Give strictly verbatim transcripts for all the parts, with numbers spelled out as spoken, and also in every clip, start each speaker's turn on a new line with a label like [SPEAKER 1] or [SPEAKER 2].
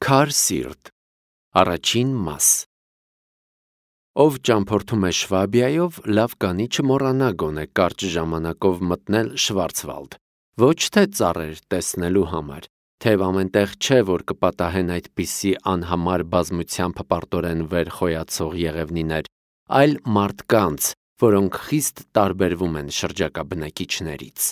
[SPEAKER 1] Քար սիրտ։ Առաջին մաս։ Ով ճամփորդում է Շվաբիայով, լավ կանի չմոռանա գոնե կարճ ժամանակով մտնել Շվարցվալդ, ոչ թե ծառեր տեսնելու համար, թեև ամենտեղ չէ, որ կպատահեն այդպիսի անհամար բազմությամբ պարտորեն վեր խոյացող եղևնիներ, այլ մարդկանց, որոնք խիստ տարբերվում են շրջակա բնակիչներից։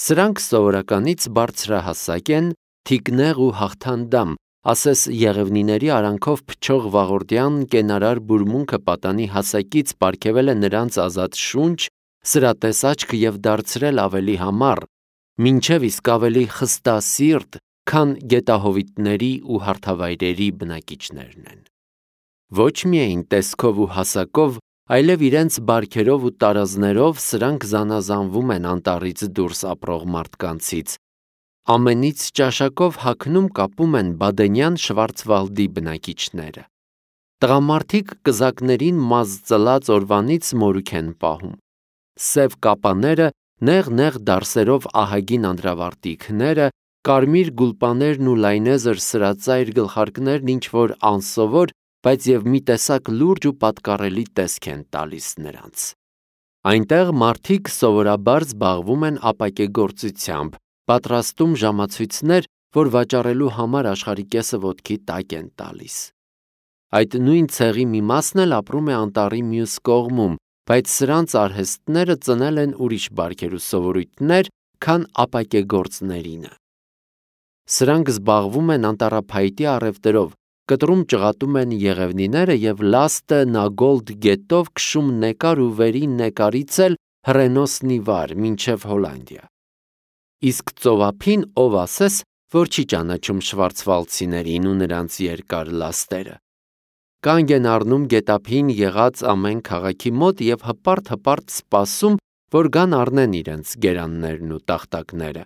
[SPEAKER 1] Սրանք սովորականից բարձրահասակ են, թիկնեղ ու հաղթանդամ, ասես եղևնիների արանքով փչող վաղորդյան կենարար բուրմունքը պատանի հասակից պարգևել է նրանց ազատ շունչ, սրատես աչք և դարձրել ավելի համառ, մինչև իսկ ավելի խստասիրտ, քան գետահովիտների ու հարթավայրերի բնակիչներն են։ Ոչ միայն տեսքով ու հասակով, այլև իրենց բարքերով ու տարազներով սրանք զանազանվում են անտառից դուրս ապրող մարդկանցից, ամենից ճաշակով հագնում կապում են բադենյան Շվարցվալդի բնակիչները։ Տղամարդիկ կզակներին մազ ծլած օրվանից մորուք են պահում։ Սև կապաները, նեղ-նեղ դարսերով ահագին անդրավարտիքները, կարմիր գուլպաներն ու լայնեզր սրածայր գլխարկներն ինչ-որ անսովոր, բայց և մի տեսակ լուրջ ու պատկառելի տեսք են տալիս նրանց։ Այնտեղ մարդիկ սովորաբար զբաղվում են ապակեգործությամբ, պատրաստում ժամացույցներ, որ վաճառելու համար աշխարհի կեսը ոտքի տակ են տալիս։ Այդ նույն ցեղի մի մասն էլ ապրում է անտառի մյուս կողմում, բայց սրանց արհեստները ծնել են ուրիշ բարքեր ու սովորույթներ, քան ապակեգործներինը։ Սրանք զբաղվում են անտառափայտի առևտրով, կտրում ճղատում են եղևնիները և լաստը Նագոլդ գետով քշում նեկար ու վերին նեկարից էլ հռենոսնի վար, մինչև Հոլանդիա։ Իսկ ծովափին ով ասես, որ չի ճանաչում շվարցվալդցիներին ու նրանց երկար լաստերը։ Կանգ են առնում գետափին եղած ամեն քաղաքի մոտ և հպարտ-հպարտ սպասում, որ գան առնեն իրենց գերաններն ու տախտակները,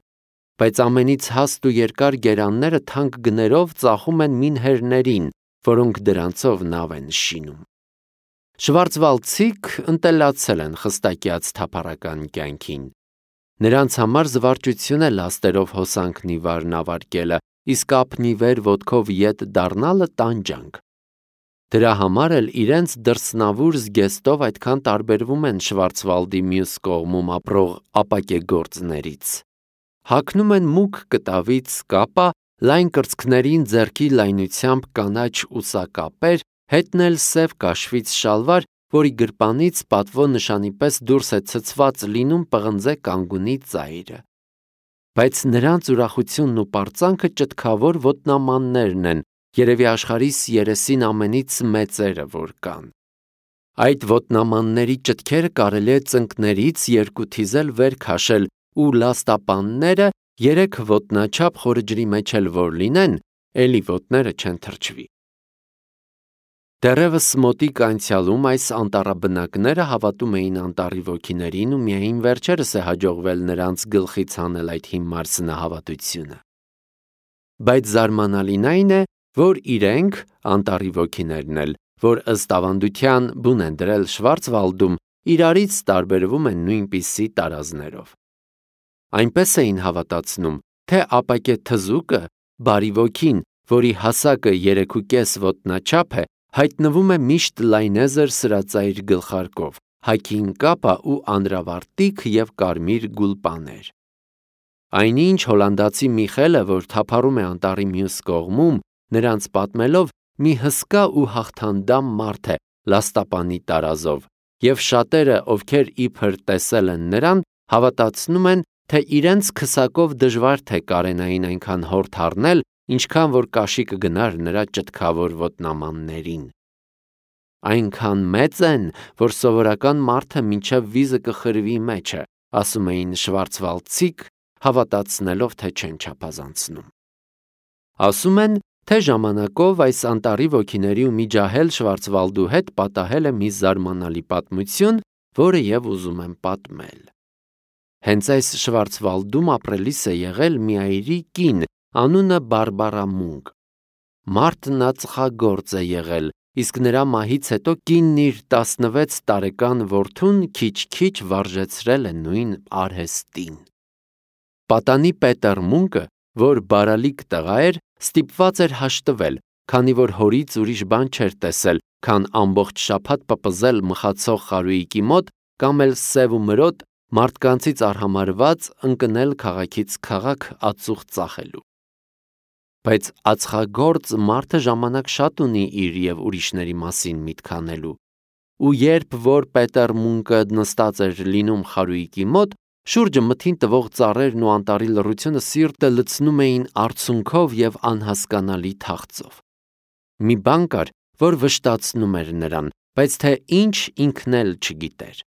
[SPEAKER 1] բայց ամենից հաստ ու երկար գերանները թանկ գներով ծախում են մինհերներին, որոնք դրանցով նավ են շինում։ Շվարցվալդցիք ընտելացել են խստակյաց թափառական կյանքին։ Նրանց համար զվարճություն է լաստերով հոսանքն ի վարն ավարկելը, իսկ ափն ի վեր ոտքով ետ դառնալը տանջանք։ Դրա համար էլ իրենց դրսնավուր զգեստով այդքան տարբերվում են Շվարցվալդի մյուս կողմում ապրող ապակեգործներից։ Հագնում են մուգ կտավից կապա, լայն կրծքներին ձեռքի լայնությամբ կանաչ ուսակապեր, հետն էլ սև կաշվից շալվար, որի գրպանից պատվո նշանի պես դուրս է ցցված լինում պղնձե կանգունի ծայրը։ Բայց նրանց ուրախությունն ու պարծանքը ճտքավոր ոտնամաններն են, երևի աշխարհիս երեսին ամենից մեծերը, որ կան։ Այդ ոտնամանների ճտքերը կարելի է ծնկներից երկու թիզել վեր քաշել ու լաստապանները երեք ոտնաչափ խորը ջրի մեջ էլ որ լինեն, էլի ոտները չեն թրջվի։ Դեռևս մոտիկ անցյալում այս անտառաբնակները հավատում էին անտառի ոգիներին ու միայն վերջերս է հաջողվել նրանց գլխից հանել այդ հիմար սնահավատությունը։ Բայց զարմանալին այն է, որ իրենք, անտառի ոգիներն էլ, որ ըստ ավանդության բուն են դրել Շվարցվալդում, իրարից տարբերվում են նույնպիսի տարազներով։ Այնպես էին հավատացնում, թե ապակե թզուկը, բարի ոգին, որի հասակը երեքուկես ոտնաչափ է, հայտնվում է միշտ լայնեզր սրածայր գլխարկով, հագին կապա ու անդրավարտիք և կարմիր գուլպաներ։ Այնինչ հոլանդացի Միխելը, որ թափառում է անտառի մյուս կողմում, նրանց պատմելով, մի հսկա ու հաղթանդամ մարդ է լաստապանի տարազով, և շատերը, ովքեր իբր տեսել են նրան, հավատացնում են, թե իրենց քսակով դժվար թե կարենային այնքան հորդ առնել, ինչքան որ կաշի կգնար նրա ճտքավոր ոտնամաններին։ Այնքան մեծ են, որ սովորական մարդը մինչև վիզը կխրվի մեջը, ասում էին շվարցվալդցիք, հավատացնելով, թե չեն չափազանցնում։ Ասում են, թե ժամանակով այս անտառի ոգիների ու մի ջահել Շվարցվալդու հետ պատահել է մի զարմանալի պատմություն, որը և ուզում եմ պատմել։ Հենց այս Շվարցվալդում ապրելիս է եղել մի այրի կին, անունը Բարբարա Մունկ։ Մարդն ածխագործ է եղել, իսկ նրա մահից հետո կինն իր տասնվեց տարեկան որդուն քիչ-քիչ վարժեցրել է նույն արհեստին։ Պատանի Պետեր Մունկը որ բարալիկ տղա էր, ստիպված էր հաշտվել, քանի որ հորից ուրիշ բան չէր տեսել, քան ամբողջ շաբաթ պպզել մխացող խարույկի մոտ կամ էլ սև ու մրոտ մարդկանցից արհամարհված ընկնել քաղաքից քաղաք ածուխ ծախելու։ Բայց ածխագործ մարդը ժամանակ շատ ունի իր և ուրիշների մասին միտք անելու, ու երբ որ Պետեր Մունկը նստած էր լինում խարույկի մոտ, շուրջը մթին տվող ծառերն ու անտառի լռությունը սիրտը լցնում էին արցունքով և անհասկանալի թախծով։ Մի բան կար, որ վշտացնում էր նրան, բայց թե ինչ ինքն էլ չգիտեր։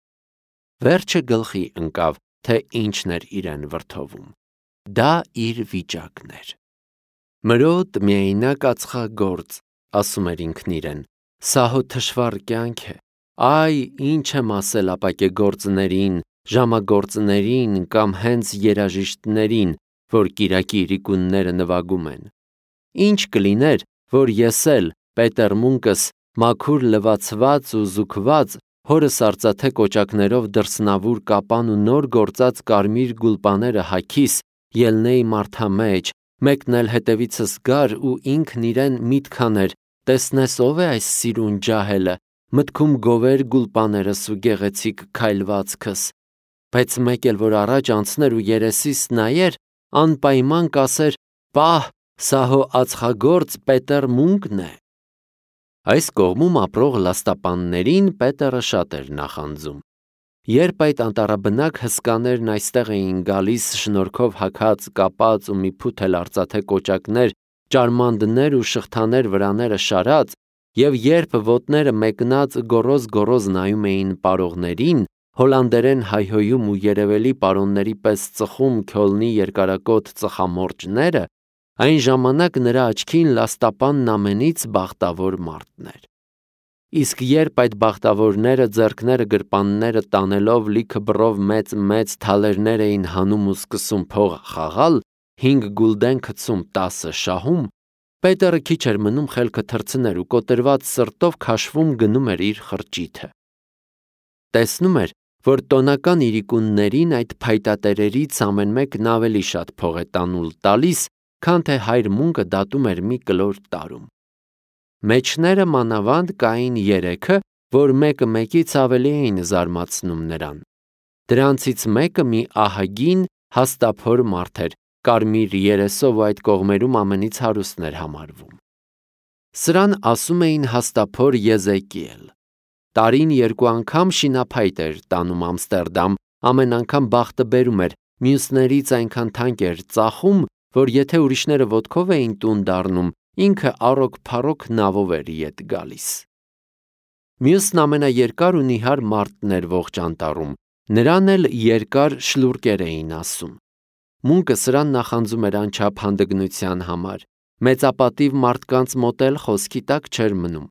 [SPEAKER 1] Վերջը գլխի ընկավ, թե ինչն էր իրեն վրդովում։ Դա իր վիճակն էր։ Մրոտ միայնակ ածխագործ, ասում էր ինքն իրեն, սա հո թշվառ կյանք է, այ ինչ եմ ասել ապակեգործներին, ժամագործներին կամ հենց երաժիշտներին, որ կիրակի իրիկունները նվագում են։ Ինչ կլիներ, որ ես էլ, Պետեր Մունկս, մաքուր լվացված ու զուգված, հորս արծաթե կոճակներով դրսնավուր կապան ու նոր գործած կարմիր գուլպաները հագիս, ելնեի մարդամեջ, մեկն էլ հետևիցս գար ու ինքն իրեն միտք աներ, տեսնես ով է այս սիրուն ջահելը, մտքում գովեր գուլպաներս ու գեղեցիկ քայլվածքս, բայց մեկ էլ որ առաջ անցներ ու երեսիս նայեր, անպայման կասեր, պահ, սա հո ածխագործ Պետեր Մունկն է։ Այս կողմում ապրող լաստապաններին Պետերը շատ էր նախանձում։ Երբ այդ անտառաբնակ հսկաներն այստեղ էին գալիս շնորհքով հագած, կապած ու մի փութ էլ արծաթե կոճակներ, ճարմանդներ ու շղթաներ վրաները շարած, և երբ ոտները մեկնած գոռոզ-գոռոզ նայում էին պարողներին, հոլանդերեն հայհոյում ու երևելի պարոնների պես ծխում Քյոլնի երկարակոթ ծխամորճները, այն ժամանակ նրա աչքին լաստապանն ամենից բախտավոր մարդն էր։ Իսկ երբ այդ բախտավորները ձեռքները գրպանները տանելով լիքը բռով մեծ-մեծ թալերներ էին հանում ու սկսում փող խաղալ, հինգ գուլդեն գցում տասը շահում, Պետերը քիչ էր մնում խելքը թռցներ ու կոտրված սրտով քաշվում գնում էր իր խրճիթը։ Տեսնում էր, որ տոնական իրիկուններին այդ փայտատերերից ամեն մեկն ավելի շատ փող է տանուլ տալիս, քան թե հայր Մունկը դատում էր մի կլոր տարում։ Մեջները մանավանդ կային երեքը, որ մեկը մեկից ավելի էին զարմացնում նրան։ Դրանցից մեկը մի ահագին հաստափոր մարդ էր, կարմիր երեսով ու այդ կողմերում ամենից հարուստն էր համարվում։ Սրան ասում էին հաստափոր Եզեկիել։ Տարին երկու անգամ շինափայտ էր տանում Ամստերդամ, ամեն անգամ բախտը բերում էր, մյուսներից այնքան թանկ էր ծախում, որ եթե ուրիշները ոտքով էին տուն դառնում, ինքը առոք-փառոք նավով էր ետ գալիս։ Մյուսն ամենաերկար ու նիհար մարդն էր ողջ անտառում, նրան էլ երկար շլուրկեր էին ասում։ Մունկը սրան նախանձում էր անչափ հանդգնության համար, մեծապատիվ մարդկանց մոտ էլ խոսքի տակ չէր մնում։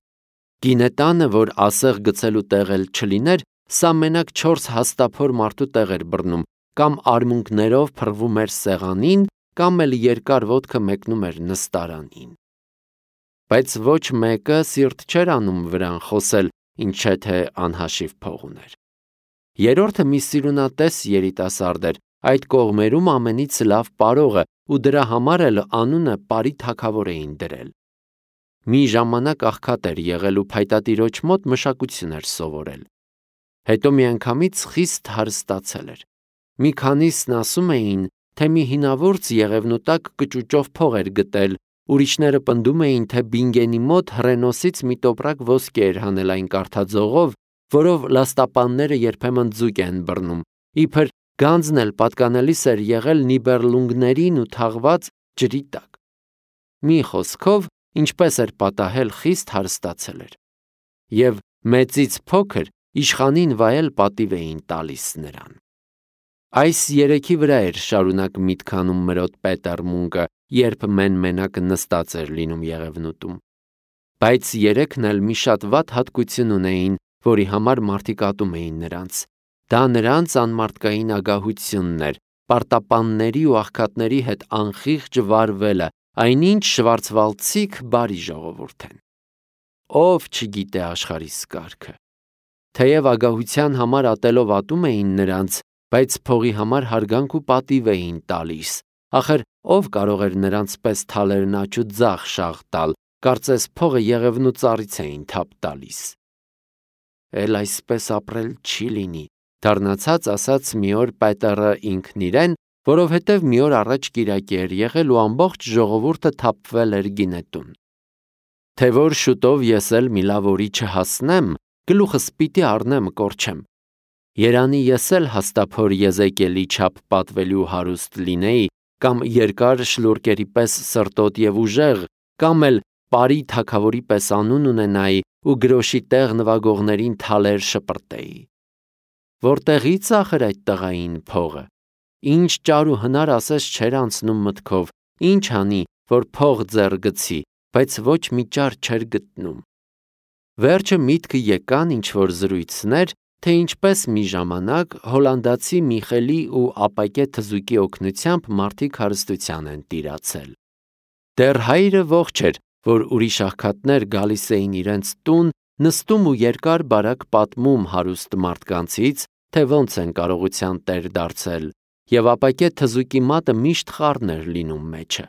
[SPEAKER 1] Գինետանը, որ ասեղ գցելու տեղ էլ չլիներ, սա մենակ չորս հաստափոր մարդու տեղ էր բռնում, կամ արմունկներով փռվում էր սեղանին, կամ էլ երկար ոտքը մեկնում էր նստարանին։ Բայց ոչ մեկը սիրտ չէր անում վրան խոսել, ինչ թե անհաշիվ փող ուներ։ Երրորդը մի սիրունատես երիտասարդ էր, այդ կողմերում ամենից լավ պարողը, ու դրա համար էլ անունը Պարի թագավոր էին դրել։ Մի ժամանակ աղքատ էր եղել ու փայտատիրոջ մոտ մշակություն էր սովորել։ Հետո միանգամից խիստ հարստացել էր։ Մի քանիսն ասում էին, թե մի հինավուրց եղևնու տակ կճուճով փող էր գտել, ուրիշները պնդում էին, թե Բինգենի մոտ հռենոսից մի տոպրակ ոսկի էր հանել այն կարթաձողով, որով լաստապանները երբեմն ձուկ են բռնում, իբր գանձն էլ պատկանելիս էր եղել նիբերլունգներին ու թաղված ջրի տակ։ Մի խոսքով, ինչպես էր պատահել, խիստ հարստացել էր։ Եվ մեծից փոքր իշխանին վայել պատիվ էին տալիս նրան։ Այս երեքի վրա էր շարունակ միտք անում մրոտ Պետեր Մունկը, երբ մեն-մենակ նստած էր լինում եղևնուտում։ Բայց երեքն էլ մի շատ վատ հատկություն ունեին, որի համար մարդիկ ատում էին նրանց։ Դա նրանց անմարդկային ագահությունն էր, պարտապանների ու աղքատների հետ անխիղճ վարվելը, այնինչ շվարցվալցիկ բարի ժողովուրդ են։ Ով չգիտե աշխարհի սկարքը։ Թեև ագահության համար ատելով ատում էին նրանց, բայց փողի համար հարգանք ու պատիվ էին տալիս։ Ախր ով կարող էր նրանց պես թալերն աճ ու ձախ շաղ տալ, կարծես փողը Եղևնու ծառից էին թափ տալիս։ Էլ այսպես ապրել չի լինի, դառնացած ասաց մի օր Պետերը ինքն իրեն, որովհետև մի օր առաջ կիրակի էր եղել ու ամբողջ ժողովուրդը թափվել էր գինետուն։ Թե որ շուտով ես էլ մի լավ օրի չհասնեմ, գլուխս պիտի առնեմ կորչեմ։ Երանի ես էլ հաստափոր Եզեկիելի չափ պատվելու հարուստ լինեի, կամ երկար շլուրկերի պես սրտոտ և ուժեղ, կամ էլ Պարի թագավորի պես անուն ունենայի ու գրոշի տեղ նվագողներին թալեր շպրտեի։ Որտեղի՞ց ախր այդ տղային փողը։ Ինչ ճար ու հնար ասես չէր անցնում մտքով, ինչ անի, որ փող ձեռ գցի, բայց ոչ մի ճար չէր գտնում։ Վերջը միտքը եկան ինչ-որ զրույցներ, թե ինչպես մի ժամանակ հոլանդացի Միխելի ու ապակե թզուկի օգնությամբ մարդիկ հարստության են տիրացել։ Դեռ հայրը ողջ էր, որ ուրիշ աղքատներ գալիս էին իրենց տուն, նստում ու երկար բարակ պատմում հարուստ մարդկանցից, թե ոնց են կարողության տեր դարձել, և ապակե թզուկի մատը միշտ խառն էր լինում մեջը։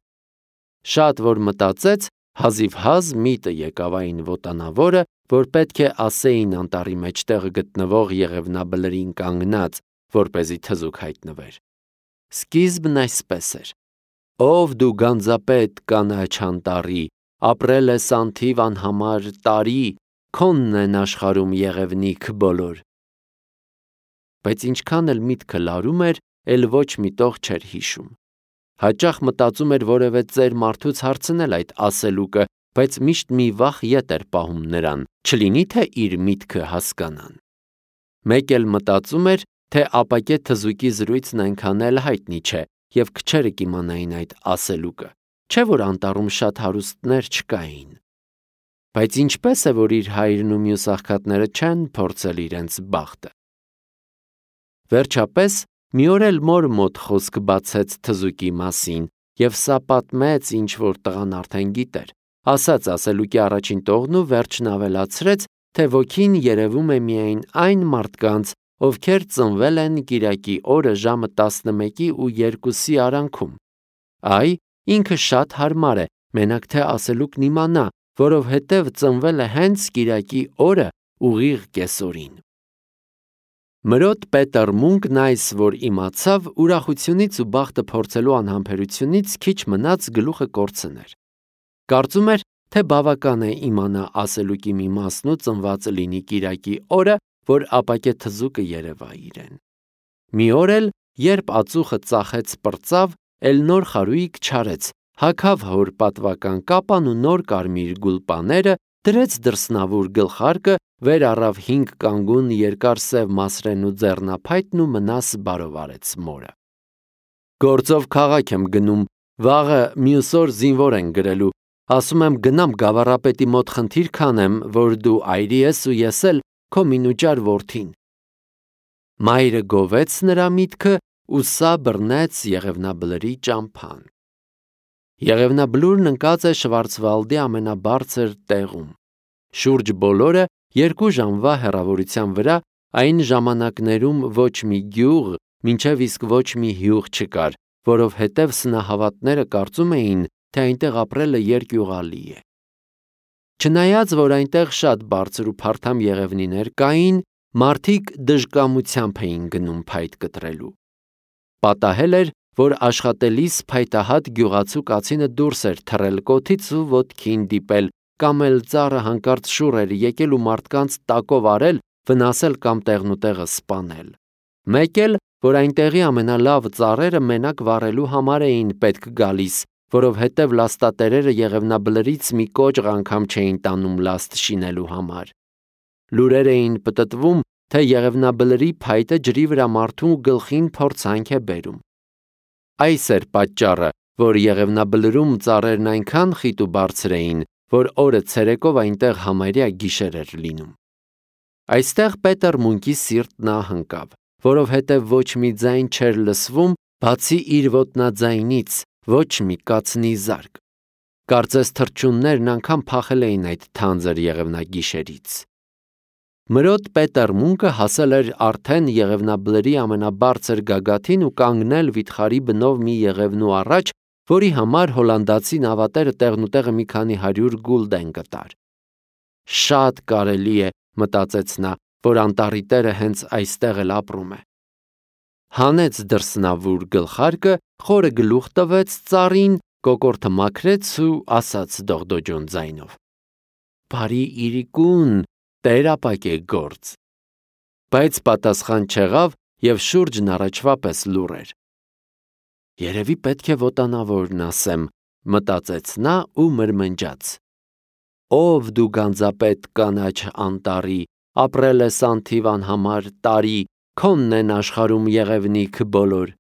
[SPEAKER 1] Շատ որ մտածեց, հազիվհազ միտը եկավ այն ոտանավորը, որ պետք է ասեին անտառի մեջտեղ գտնվող Եղևնաբլրին կանգնած, որպեսզի թզուկ հայտնվեր։ Սկիզբն այսպես էր. «Ով դու գանձապետ կանաչ անտառի, ապրել ես անթիվ անհամար տարի, քոնն են աշխարհում եղևնիք բոլոր»։ Բայց ինչքան էլ միտքը լարում էր, էլ ոչ մի տող չէր հիշում։ Հաճախ մտածում էր որևէ ծեր մարդուց հարցնել այդ ասելուկը, բայց միշտ մի վախ ետ էր պահում նրան, չլինի թե իր միտքը հասկանան։ Մեկ էլ մտածում էր, թե ապակե թզուկի զրույցն այնքան էլ հայտնի չէ, և քչերը կիմանային այդ ասելուկը, չէ որ անտառում շատ հարուստներ չկային։ Բայց ինչպես է, որ իր հայրն ու մյուս աղքատները չեն փորձել իրենց բախտը։ Վերջապես մի օր էլ մոր մոտ խոսք բացեց թզուկի մասին, և սա պատմեց, ինչ որ տղան արդեն գիտեր, ասաց ասելուկի առաջին տողն ու վերջն ավելացրեց, թե ոգին երևում է միայն այն մարդկանց, ովքեր ծնվել են կիրակի օրը ժամը տասնմեկի ու երկուսի արանքում։ Այ, ինքը շատ հարմար է, մենակ թե ասելուկն իմանա, որովհետև ծնվել է հենց կիրակի օրը ուղիղ կեսօրին։ Մրոտ Պետեր Մունկն այս, որ իմացավ, ուրախությունից ու բախտը փորձելու անհամբերությունից քիչ մնաց գլուխը կորցներ։ Կարծում էր, թե բավական է իմանա ասելուկի մի մասն ու ծնված լինի կիրակի օրը, որ ապակե թզուկը երևա իրեն։ Մի օր էլ, երբ ածուխը ծախեց պրծավ, էլ նոր խարույկ չարեց, հագավ հոր պատվական կապան ու նոր կարմիր գուլպաները, դրեց դրսնավուր գլխարկը, վեր առավ հինգ կանգուն երկար սև մասրեն ու ձեռնափայտն ու մնաս բարովարեց մորը։ Գործով քաղաք եմ գնում, վաղը մյուս օր զինվոր են գրելու, ասում եմ գնամ գավառապետի մոտ խնդիր քանեմ, որ դու այրի ես ու ես էլ քո մինուճար որդին։ Մայրը գովեց նրա միտքը ու սա բռնեց Եղևնաբլրի ճամփան։ Եղևնաբլուրն ընկած է Շվարցվալդի ամենաբարձր տեղում։ Շուրջ բոլորը երկու ժամվա հեռավորության վրա, այն ժամանակներում ոչ մի գյուղ, մինչև իսկ ոչ մի հյուղ չկար, որովհետև սնահավատները կարծում էին, թե այնտեղ ապրելը երկյուղալի է։ Չնայած, որ այնտեղ շատ բարձր ու փարթամ եղևնիներ կային, մարդիկ դժկամությամբ էին գնում փայտ կտրելու։ Պատահել էր, որ աշխատելիս փայտահատ գյուղացու կացինը դուրս էր թռել կոթից ու ոտքին դիպել, կամ էլ ծառը հանկարծ շուռ էր եկել ու մարդկանց տակով արել, վնասել կամ տեղնուտեղը սպանել։ Մեկ էլ, որ այնտեղի ամենալավ ծառերը մենակ վառելու համար էին պետք գալիս, որովհետև լաստատերերը Եղևնաբլրից մի կոճղ անգամ չէին տանում լաստ շինելու համար։ Լուրեր էին պտտվում, թե Եղևնաբլրի փայտը ջրի վրա մարդու գլխին փորձանք է բերում։ Այս էր պատճառը, որ Եղևնաբլրում ծառերն այնքան խիտ ու բարձր էին, որ օրը ցերեկով այնտեղ համարյա գիշեր էր լինում։ Այստեղ Պետեր Մունկի սիրտն ահընկավ, որովհետև ոչ մի ձայն չէր լսվում, բացի իր ոտնաձայնից, ոչ մի կացնի զարկ։ Կարծես թռչուններն անգամ փախել էին այդ թանձր եղևնագիշերից։ Մրոտ Պետեր Մունկը հասել էր արդեն Եղևնաբլրի ամենաբարձր գագաթին ու կանգնել վիթխարի բնով մի եղևնու առաջ, որի համար հոլանդացի նավատերը տեղնուտեղը մի քանի հարյուր գուլդեն կտար։ Շատ կարելի է, մտածեց նա, որ անտառի տերը հենց այստեղ էլ ապրում է։ Հանեց դրսնավուր գլխարկը, խորը գլուխ տվեց ծառին, կոկորդը մաքրեց ու ասաց դողդոջուն ձայնով. «Բարի իրիկուն, Տեր ապագե գործ»։ Բայց պատասխան չեղավ և շուրջն առաջվա պես լուռ էր։ Երևի պետք է ոտանավորն ասեմ, մտածեց նա ու մրմնջաց. Ով դու գանձապետ կանաչ անտառի, ապրել ես անթիվ անհամար տարի, քոնն են աշխարհում եղևնիք բոլոր։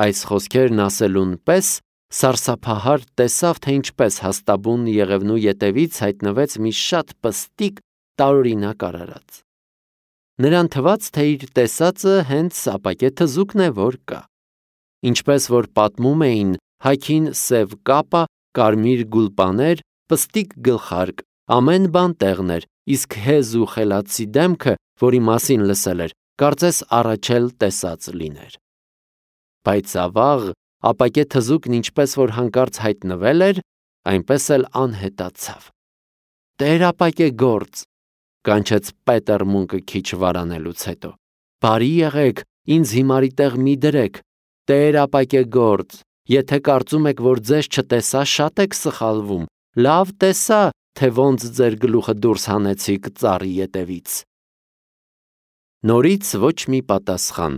[SPEAKER 1] Այս խոսքերն ասելուն պես սարսափահար տեսավ, թե ինչպես հաստաբուն եղևնու ետևից հայտնվեց մի շատ պստիկ տարօրինակ արարած։ Նրան թվաց, թե իր տեսածը հենց ապակե թզուկն է, որ կա։ Ինչպես որ պատմում էին, հագին սև կապա, կարմիր գուլպաներ, պստիկ գլխարկ, ամեն բան տեղն էր, իսկ հեզ ու խելացի դեմքը, որի մասին լսել էր, կարծես առաջ էլ տեսած լիներ։ Բայց ավաղ ապակե թզուկն ինչպես որ հանկարծ հայտնվել էր, այնպես էլ անհետացավ։ Տեր ապակե գործ, կանչեց Պետեր Մունկը քիչ վարանելուց հետո։ Բարի եղեք, ինձ հիմարի տեղ մի դրեք, Տեր ապակե գործ, եթե կարծում եք, որ ձեզ չտեսա, շատ եք սխալվում, լավ տեսա, թե ոնց ձեր գլուխը դուրս հանեցիք ծառի ետևից։ Նորից ոչ մի պատասխան,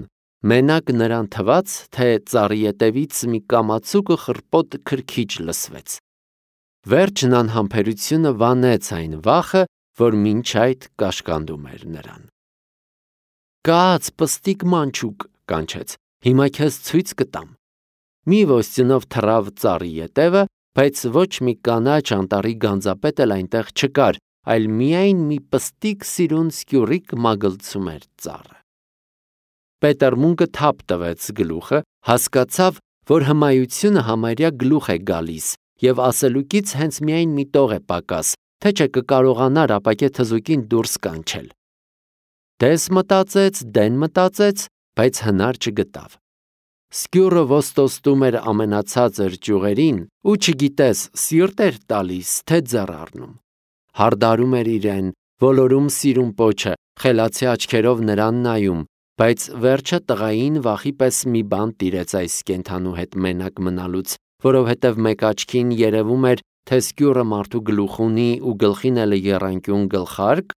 [SPEAKER 1] մենակ նրան թվաց, թե ծառի ետևից մի կամացուկը խռպոտ քրքիջ լսվեց։ Վերջն անհամբերությունը վանեց այն վախը, որ մինչ այդ կաշկանդում էր նրան։ Կաց, պստիկ մանչուկ, կանչեց, հիմա քեզ ցույց կտամ։ Մի ոստյունով թռավ ծառի ետևը, բայց ոչ մի կանաչ անտառի գանձապետ էլ այնտեղ չկար, այլ միայն մի պստիկ սիրուն սկյուռիկ մագլցում էր ծառը։ Պետեր Մունկը թափ տվեց գլուխը, հասկացավ, որ հմայությունը համարյա գլուխ է գալիս և ասելուկից հենց միայն մի տող է պակաս, թե չէ կկարողանար ապակե թզուկին դուրս կանչել։ Դես մտածեց, դեն մտածեց, բայց հնար չգտավ։ Սկյուռը ոստոստում էր ամենացածր ճյուղերին ու չգիտես սիրտ էր տալիս, թե ձեռ առնում։ Հարդարում էր իրեն, ոլորում սիրուն պոչը, խելացի աչքերով նրան նայում, բայց վերջը տղային վախի պես մի բան տիրեց այս կենդանու հետ մենակ մնալուց, որովհետև մեկ աչքին երևում էր, թե սկյուռը մարդու գլուխ ունի ու գլխին էլ եռանկյուն գլխարկ,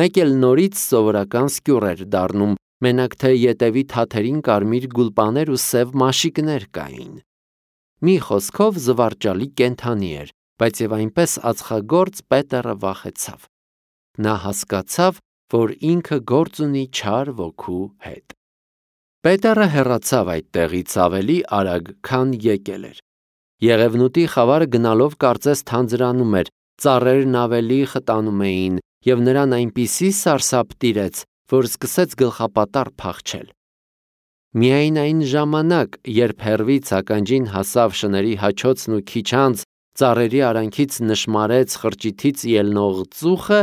[SPEAKER 1] մեկ էլ նորից սովորական սկյուռ էր դառնում, մենակ թե ետևի թաթերին կարմիր գուլպաներ ու սև մաշիկներ կային։ Մի խոսքով զվարճալի կենդանի էր, բայց եւ այնպես ածխագործ Պետերը վախեցավ։ Նա հասկացավ, որ ինքը գործ ունի չար ոգու հետ։ Պետերը հեռացավ այդ տեղից ավելի արագ, քան եկել էր։ Եղևնուտի խավարը գնալով կարծես թանձրանում էր, ծառերն ավելի խտանում էին, եւ նրան այնպիսի սարսափ տիրեց, որ սկսեց գլխապատառ փախչել։ Միայն այն ժամանակ, երբ հեռվից ականջին հասավ շների հաչոցն ու քիչ անց ծառերի արանքից նշմարեց խրճիթից ելնող ծուխը,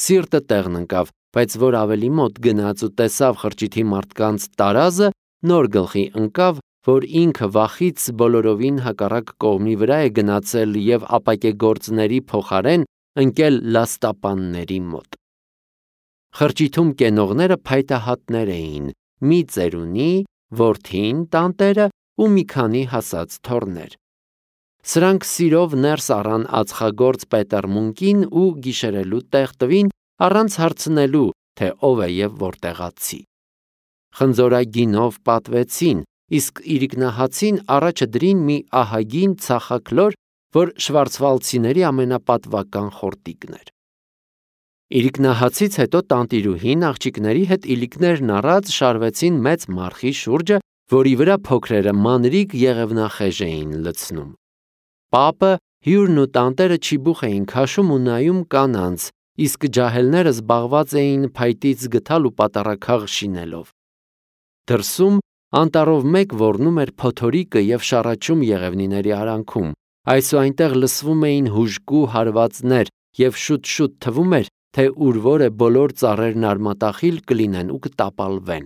[SPEAKER 1] սիրտը տեղն ընկավ, բայց որ ավելի մոտ գնաց ու տեսավ խրճիթի մարդկանց տարազը, նոր գլխի ընկավ, որ ինքը վախից բոլորովին հակառակ կողմի վրա է գնացել եւ ապակեգործների փոխարեն ընկել լաստապանների մոտ։ Խրճիթում կենողները փայտահատներ էին, մի ծերունի, որդին, տանտերը ու մի քանի հասած թոռներ։ Սրանք սիրով ներս առան ածխագործ Պետեր Մունկին ու գիշերելու տեղ տվին, առանց հարցնելու, թե ով է եւ որտեղացի։ Խնձորագինով պատվեցին, իսկ իրիկնահացին առաջը դրին մի ահագին ցախաքլոր, որ շվարցվալցիների ամենապատվական խորտիկն էր։ Իրիկնահացից հետո տանտիրուհին աղջիկների հետ իլիկներն առած շարվեցին մեծ մարխի շուրջը, որի վրա փոքրերը մանրիկ եղևնախեժ էին լցնում։ Պապը, հյուրն ու տանտերը չիբուխ էին քաշում ու նայում կանանց, իսկ ջահելները զբաղված էին փայտից գթալ ու պատառաքաղ շինելով։ Դրսում անտառով մեկ ոռնում էր փոթորիկը եւ շառաչում եղևնիների արանքում, այսուհայնտեղ լսվում էին հուժկու հարվածներ եւ շուտ-շուտ թվում էր, թե ուր որ է բոլոր ծառերն արմատախիլ կլինեն ու կտապալվեն։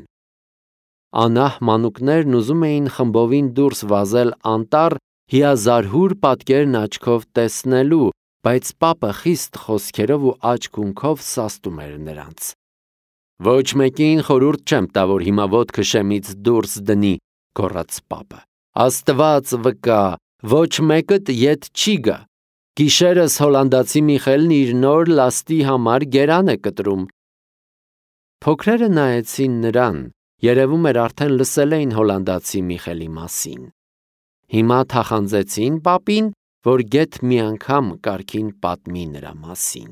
[SPEAKER 1] Անահ մանուկներն ուզում էին խմբովին դուրս վազել անտառ հիազարհուր պատկերն աչքով տեսնելու, բայց պապը խիստ խոսքերով ու աչք-ունքով սաստում էր նրանց։ «Ոչ մեկին խորհուրդ չեմ տա, որ հիմա ոտքը շեմից դուրս դնի», գոռաց պապը։ «Աստված վկա, ոչ մեկդ ետ չի գա։ Գիշերս հոլանդացի Միխելն իր նոր լաստի համար գերան է կտրում»։ Փոքրերը նայեցին նրան, երևում էր արդեն լսել էին հոլանդացի Միխելի մասին։ Հիմա թախանձեցին պապին, որ գեթ մի անգամ կարգին պատմի նրա մասին։